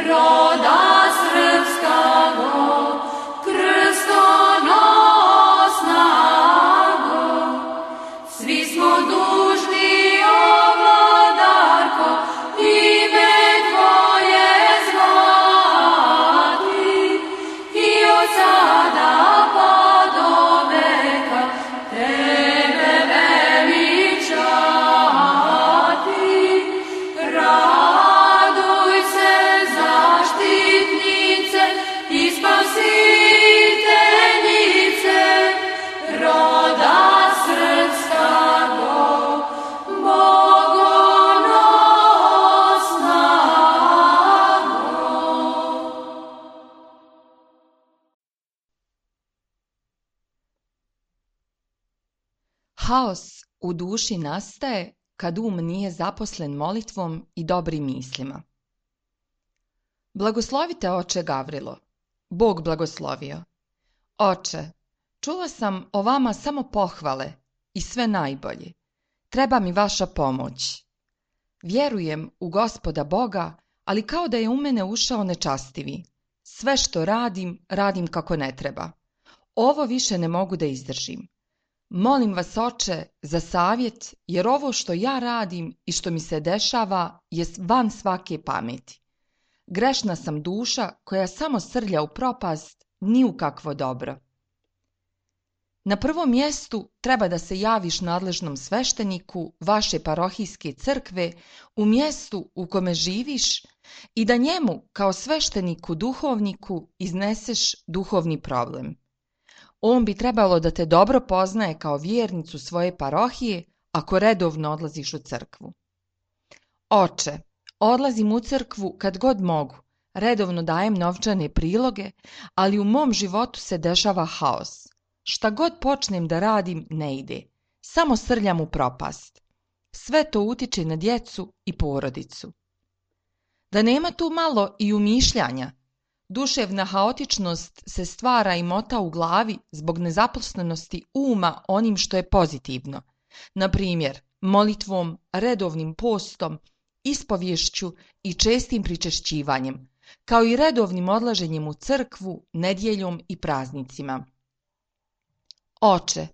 roda srpskago, krstonosnago. Svi smo dužni, o vladarko, ime tvoje zvati i od sada pa do veka tebe veličati. Raduj se, zaštitnice i spasiteljice, roda srpskago, bogonosnago. Haos u duši nastaje kad um nije zaposlen molitvom i dobrim mislima. Blagoslovite, oče Gavrilo. Bog blagoslovio. Oče, čula sam o vama samo pohvale i sve najbolje. Treba mi vaša pomoć. Vjerujem u Gospoda Boga, ali kao da je u mene ušao nečastivi. Sve što radim, radim kako ne treba. Ovo više ne mogu da izdržim. Molim vas, oče, za savjet, jer ovo što ja radim i što mi se dešava je van svake pameti. Grešna sam duša koja samo srlja u propast, ni u kakvo dobro. Na prvom mjestu treba da se javiš nadležnom svešteniku vaše parohijske crkve u mjestu u kome živiš i da njemu kao svešteniku duhovniku izneseš duhovni problem. On bi trebalo da te dobro poznaje kao vjernicu svoje parohije ako redovno odlaziš u crkvu. Oče, odlazim u crkvu kad god mogu, redovno dajem novčane priloge, ali u mom životu se dešava haos. Šta god počnem da radim ne ide, samo srljam u propast. Sve to utiče na djecu i porodicu. Da nema tu malo i umišljanja, duševna haotičnost se stvara i mota u glavi zbog nezaposlenosti uma onim što je pozitivno, na primjer molitvom, redovnim postom, ispovješću i čestim pričešćivanjem, kao i redovnim odlaženjem u crkvu, nedjeljom i praznicima. Oče,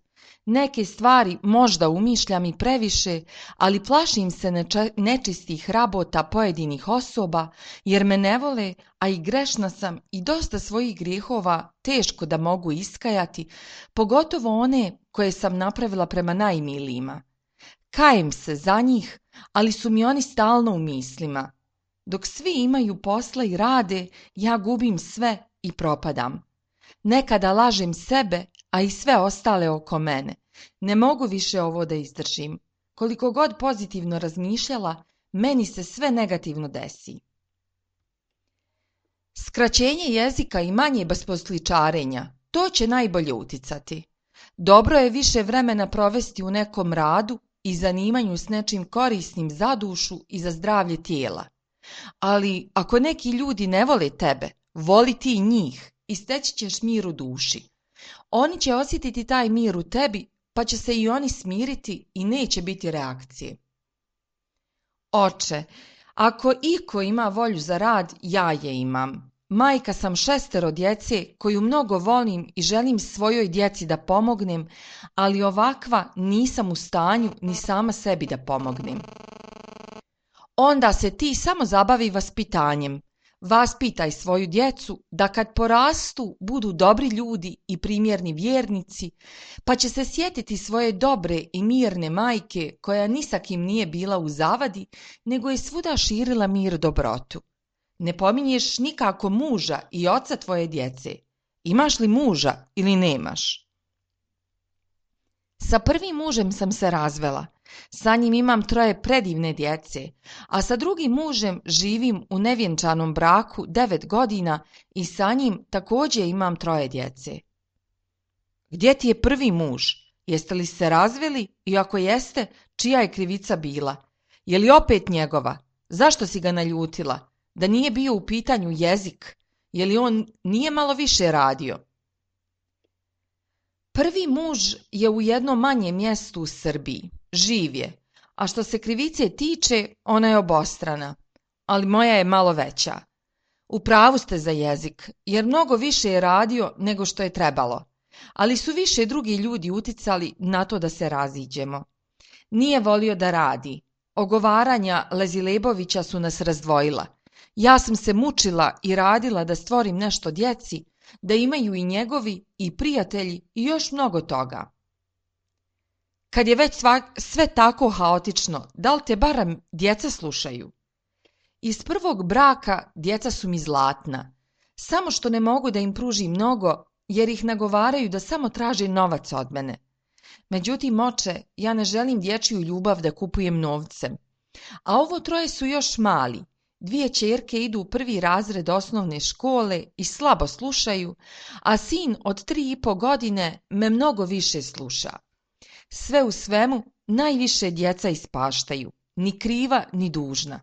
neke stvari možda umišljam i previše, ali plašim se nečistih rabota pojedinih osoba, jer me ne vole, a i grešna sam i dosta svojih grijehova teško da mogu iskajati, pogotovo one koje sam napravila prema najmilijima. Kajem se za njih, ali su mi oni stalno u mislima. Dok svi imaju posla i rade, ja gubim sve i propadam. Nekada lažem sebe, a i sve ostale oko mene. Ne mogu više ovo da izdržim. Koliko god pozitivno razmišljala, meni se sve negativno desi. Skraćenje jezika i manje besposličarenja, to će najbolje uticati. Dobro je više vremena provesti u nekom radu i zanimanju s nečim korisnim za dušu i za zdravlje tijela. Ali ako neki ljudi ne vole tebe, voli ti njih i steći ćeš mir u duši. Oni će osjetiti taj mir u tebi, pa će se i oni smiriti i neće biti reakcije. Oče, ako iko ima volju za rad, ja je imam. Majka sam 6 djece koju mnogo volim i želim svojoj djeci da pomognem, ali ovakva nisam u stanju ni sama sebi da pomognem. Onda se ti samo zabavi vaspitanjem. Vaspitaj svoju djecu da kad porastu budu dobri ljudi i primjerni vjernici, pa će se sjetiti svoje dobre i mirne majke koja ni sa kim nije bila u zavadi, nego je svuda širila mir dobrotu. Ne pominješ nikako muža i oca tvoje djece. Imaš li muža ili nemaš? Sa prvim mužem sam se razvela. Sa njim imam 3 predivne djece, a sa drugim mužem živim u nevjenčanom braku 9 godina i sa njim također imam 3 djece. Gdje ti je prvi muž? Jeste li se razveli i ako jeste, čija je krivica bila? Je li opet njegova? Zašto si ga naljutila? Da nije bio u pitanju jezik? Je li on nije malo više radio? Prvi muž je u jednom manjem mjestu u Srbiji. Živ je, a što se krivice tiče, ona je obostrana, ali moja je malo veća. U pravu ste za jezik, jer mnogo više je radio nego što je trebalo, ali su više drugi ljudi uticali na to da se raziđemo. Nije volio da radi. Ogovaranja Lezilebovića su nas razdvojila. Ja sam se mučila i radila da stvorim nešto djeci, da imaju i njegovi i prijatelji i još mnogo toga. Kad je već sve tako haotično, da li te barem djeca slušaju? Iz prvog braka djeca su mi zlatna, samo što ne mogu da im pružim mnogo, jer ih nagovaraju da samo traže novac od mene. Međutim, oče, ja ne želim dječju ljubav da kupujem novcem. A ovo troje su još mali. 2 ćerke idu u 1. razred osnovne škole i slabo slušaju, a sin od 3,5 godine me mnogo više sluša. Sve u svemu, najviše djeca ispaštaju, ni kriva ni dužna.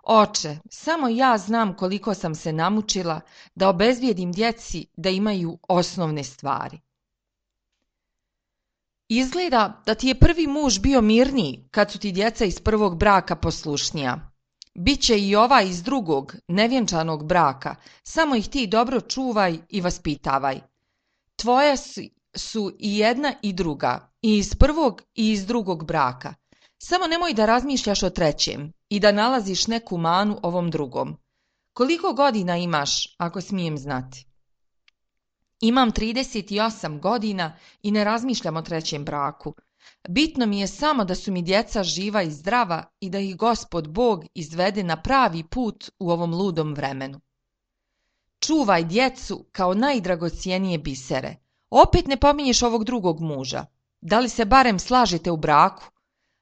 Oče, samo ja znam koliko sam se namučila da obezbijedim djeci da imaju osnovne stvari. Izgleda da ti je prvi muž bio mirniji kad su ti djeca iz prvog braka poslušnija. Biće i ova iz drugog, nevjenčanog braka, samo ih ti dobro čuvaj i vaspitavaj. Tvoje su i jedna i druga, i iz prvog i iz drugog braka. Samo nemoj da razmišljaš o trećem i da nalaziš neku manu ovom drugom. Koliko godina imaš, ako smijem znati? Imam 38 godina i ne razmišljam o trećem braku. Bitno mi je samo da su mi djeca živa i zdrava i da ih Gospod Bog izvede na pravi put u ovom ludom vremenu. Čuvaj djecu kao najdragocijenije bisere. Opet ne pominješ ovog drugog muža. Da li se barem slažete u braku?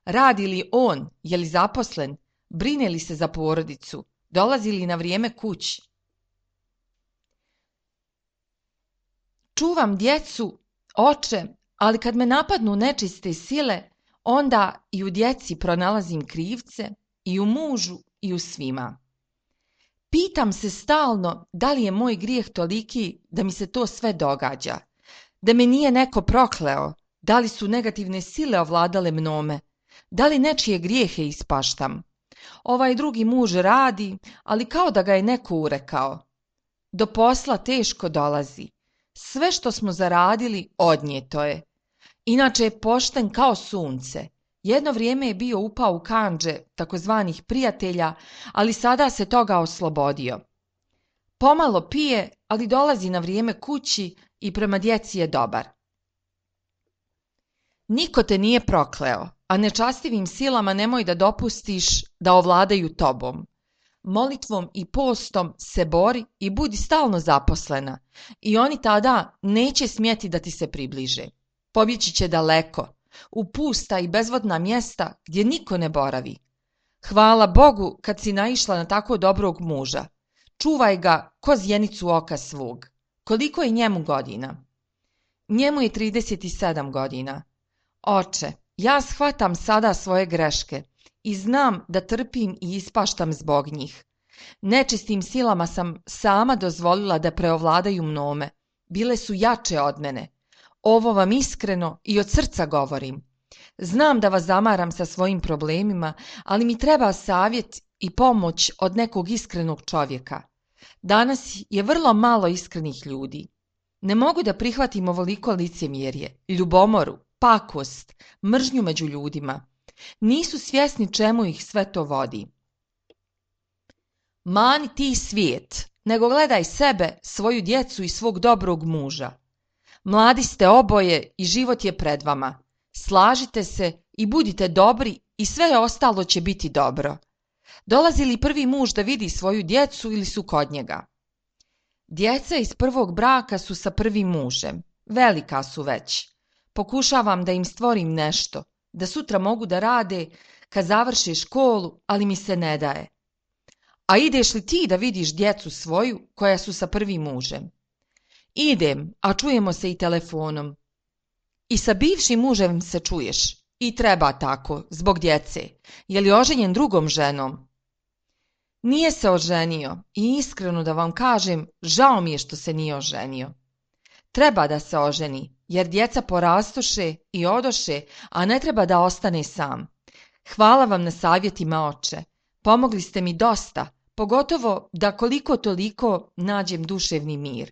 Radi li on, je li zaposlen, brine li se za porodicu, dolazi li na vrijeme kući? Čuvam djecu, oče, ali kad me napadnu nečiste sile, onda i u djeci pronalazim krivce, i u mužu i u svima. Pitam se stalno da li je moj grijeh toliki da mi se to sve događa, da me nije neko prokleo, da li su negativne sile ovladale mnome, da li nečije grijehe ispaštam. Ovaj drugi muž radi, ali kao da ga je neko urekao. Do posla teško dolazi. Sve što smo zaradili odnijeto je. Inače je pošten kao sunce. Jedno vrijeme je bio upao u kandže takozvanih prijatelja, ali sada se toga oslobodio. Pomalo pije, ali dolazi na vrijeme kući i prema djeci je dobar. Niko te nije prokleo, a nečastivim silama nemoj da dopustiš da ovladaju tobom. Molitvom i postom se bori i budi stalno zaposlena i oni tada neće smjeti da ti se približe. Pobjeći će daleko, u pusta i bezvodna mjesta gdje niko ne boravi. Hvala Bogu kad si naišla na tako dobrog muža. Čuvaj ga ko zjenicu oka svog. Koliko je njemu godina? Njemu je 37 godina. Oče, ja shvatam sada svoje greške i znam da trpim i ispaštam zbog njih. Nečistim silama sam sama dozvolila da preovladaju mnome. Bile su jače od mene. Ovo vam iskreno i od srca govorim. Znam da vas zamaram sa svojim problemima, ali mi treba savjet i pomoć od nekog iskrenog čovjeka. Danas je vrlo malo iskrenih ljudi. Ne mogu da prihvatim ovoliko licemjerje, ljubomoru, pakost, mržnju među ljudima. Nisu svjesni čemu ih sve to vodi. Mani ti svijet, nego gledaj sebe, svoju djecu i svog dobrog muža. Mladi ste oboje i život je pred vama. Slažite se i budite dobri i sve ostalo će biti dobro. Dolazi li prvi muž da vidi svoju djecu ili su kod njega? Djeca iz prvog braka su sa prvim mužem. Velika su već. Pokušavam da im stvorim nešto, da sutra mogu da rade kad završe školu, ali mi se ne daje. A ideš li ti da vidiš djecu svoju koja su sa prvim mužem? Idem, a čujemo se i telefonom. I sa bivšim mužem se čuješ. I treba tako, zbog djece. Je li oženjen drugom ženom? Nije se oženio i iskreno da vam kažem, žao mi je što se nije oženio. Treba da se oženi, jer djeca porastoše i odoše, a ne treba da ostane sam. Hvala vam na savjetima, oče. Pomogli ste mi dosta, pogotovo da koliko toliko nađem duševni mir.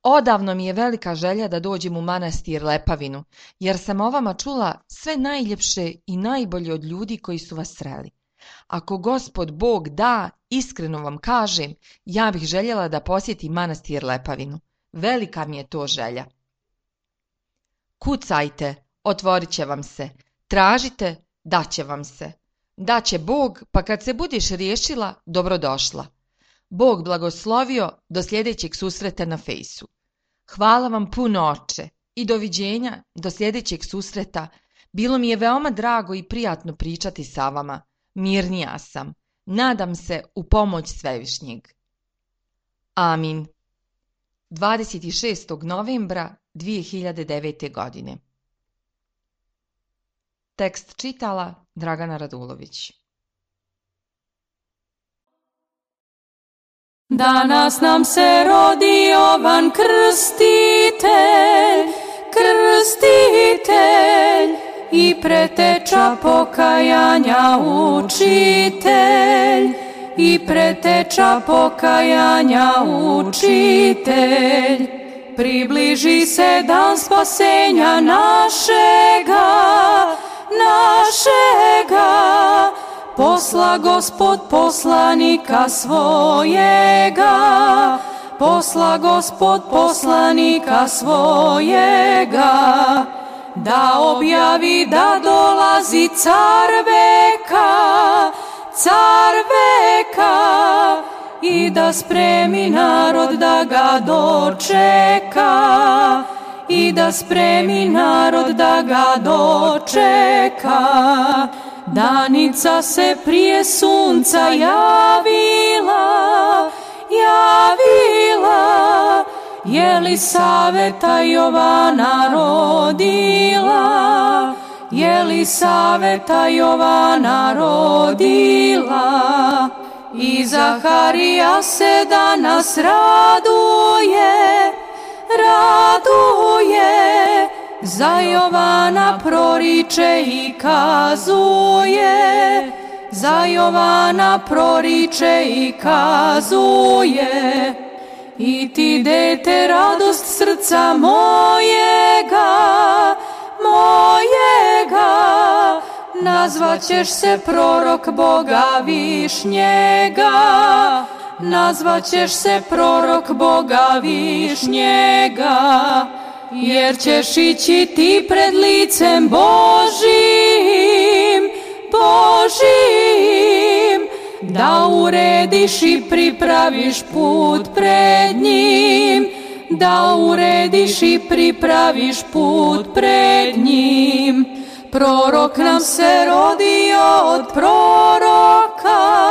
Odavno mi je velika želja da dođem u manastir Lepavinu, jer sam o vama čula sve najljepše i najbolje od ljudi koji su vas sreli. Ako Gospod Bog da, iskreno vam kažem, ja bih željela da posjetim manastir Lepavinu. Velika mi je to želja. Kucajte, otvorit će vam se. Tražite, daće vam se. Daće Bog, pa kad se budiš riješila, dobrodošla. Bog blagoslovio, do sljedećeg susreta na fejsu. Hvala vam puno, oče, i doviđenja, do sljedećeg susreta. Bilo mi je veoma drago i prijatno pričati sa vama. Mirnija sam. Nadam se u pomoć Svevišnjeg. Amin. 26. novembra 2009. godine. Tekst čitala Dragana Radulović. Danas nam se rodi Jovan Krstitelj, Krstitelj i preteča pokajanja učitelj, i preteča pokajanja učitelj. Približi se dan spasenja našega, posla Gospod poslanika svojega, posla Gospod poslanika svojega, da objavi da dolazi car veka, i da spremi narod da ga dočeka, i da spremi narod da ga dočeka. Danica se prije sunca javila, Jelisaveta Jovana rodila, Jelisaveta Jovana rodila. I Zaharija se danas raduje, za Jovana proriče i kazuje, za Jovana proriče i kazuje. I ti, dete, radost srca mojega, nazvaćeš se prorok Boga Višnjega, nazvaćeš se prorok Boga Višnjega, jer ćeš ići ti pred licem Božim, da urediš i pripraviš put pred njim, da urediš i pripraviš put pred njim. Prorok nam se rodio od proroka,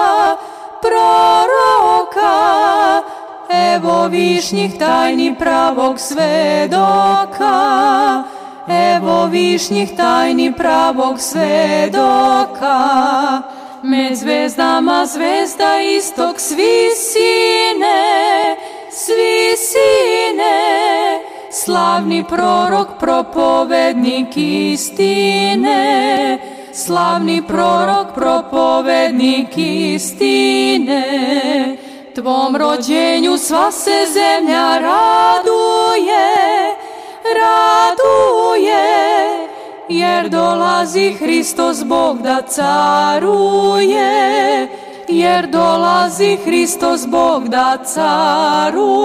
evo višnjih tajni pravog svedoka, evo višnjih tajni pravog svedoka. Med zvezdama zvezda istok svi sine, slavni prorok, propovednik istine, slavni prorok, propovednik istine. Tvom rođenju sva se zemlja raduje, jer dolazi Hristos Bog da caruje, jer dolazi Hristos Bog da caruje.